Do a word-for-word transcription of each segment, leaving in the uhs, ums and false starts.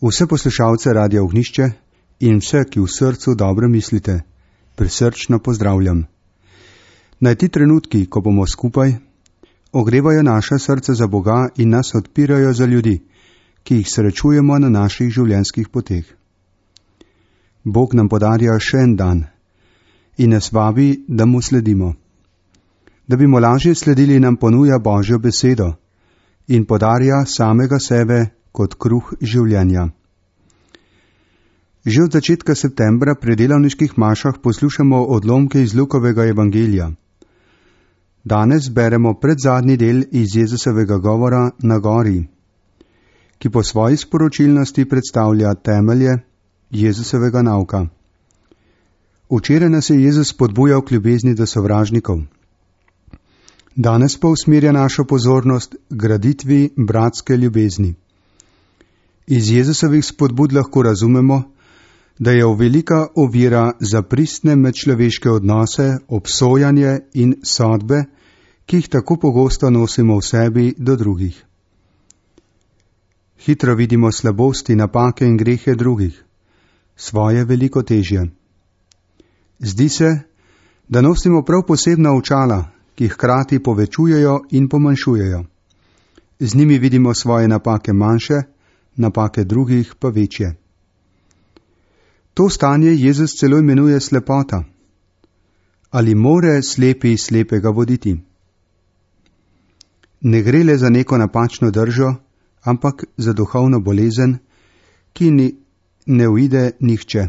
Vse poslušalce Radia Ognjišče in vse, ki v srcu dobro mislite, prisrčno pozdravljam. Naj ti trenutki, ko bomo skupaj, ogrevajo naše srce za Boga in nas odpirajo za ljudi, ki jih srečujemo na naših življenjskih poteh. Bog nam podarja še en dan in nas vabi, da mu sledimo. Da bi mu lažje sledili, nam ponuja Božjo besedo in podarja samega sebe kot kruh življenja. Že od začetka septembra pri delavniških mašah poslušamo odlomke iz Lukovega evangelija. Danes beremo predzadnji del iz Jezusovega govora na gori, ki po svoji sporočilnosti predstavlja temelje Jezusovega nauka. Včeraj nas je Jezus spodbujal k ljubezni do sovražnikov. Danes pa usmerja našo pozornost k graditvi bratske ljubezni. Iz Jezusovih spodbud lahko razumemo, da je velika ovira za pristne medčloveške odnose, obsojanje in sodbe, ki jih tako pogosto nosimo v sebi do drugih. Hitro vidimo slabosti, napake in grehe drugih, svoje veliko težje. Zdi se, da nosimo prav posebna očala, ki hkrati povečujejo in pomanjšujejo. Z njimi vidimo svoje napake manjše, napake drugih pa večje. To stanje Jezus celo imenuje slepota. Ali more slepi slepega voditi? Ne gre le za neko napačno držo, ampak za duhovno bolezen, ki ni, ne uide nihče.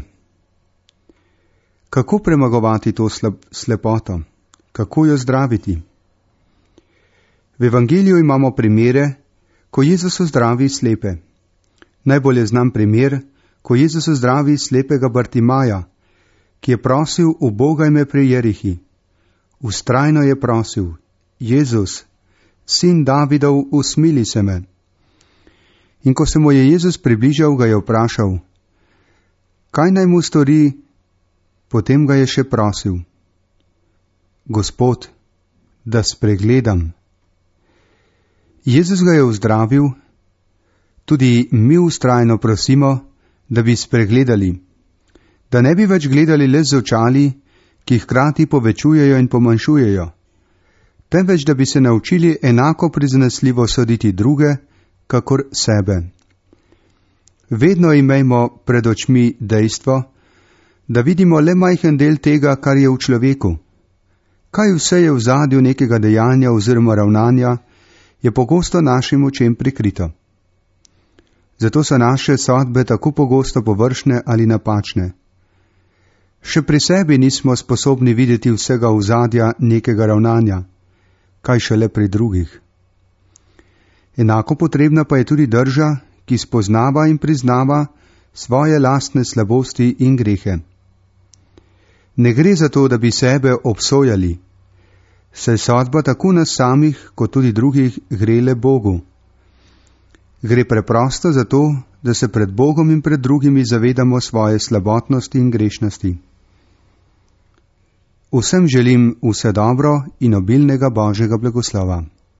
Kako premagovati to slepoto? Kako jo zdraviti? V evangeliju imamo primere, ko Jezus zdravi slepe. Najbolje znam primer, ko Jezus zdravi slepega Bartimaja, ki je prosil v Boga ime pri Jerihi. Vztrajno je prosil: Jezus, sin Davidov, usmili se me. In ko se mu je Jezus približal, ga je vprašal: kaj naj mu stori? Potem ga je še prosil: Gospod, da spregledam. Jezus ga je vzdravil. Tudi mi vztrajno prosimo, da bi spregledali, da ne bi več gledali le z očali, ki hkrati povečujejo in pomanjšujejo, temveč da bi se naučili enako prizanesljivo soditi druge, kakor sebe. Vedno imejmo pred očmi dejstvo, da vidimo le majhen del tega, kar je v človeku. Kaj vse je v zadju nekega dejanja oziroma ravnanja, je pogosto našim očem prikrito. Zato so naše sodbe tako pogosto površne ali napačne. Še pri sebi nismo sposobni videti vsega ozadja nekega ravnanja, kaj šele pri drugih. Enako potrebna pa je tudi drža, ki spoznava in priznava svoje lastne slabosti in grehe. Ne gre za to, da bi sebe obsojali, saj sodba tako nas samih, kot tudi drugih gre le Bogu. Gre preprosto za to, da se pred Bogom in pred drugimi zavedamo svoje slabotnosti in grešnosti. Vsem želim vse dobro in obilnega Božjega blagoslova.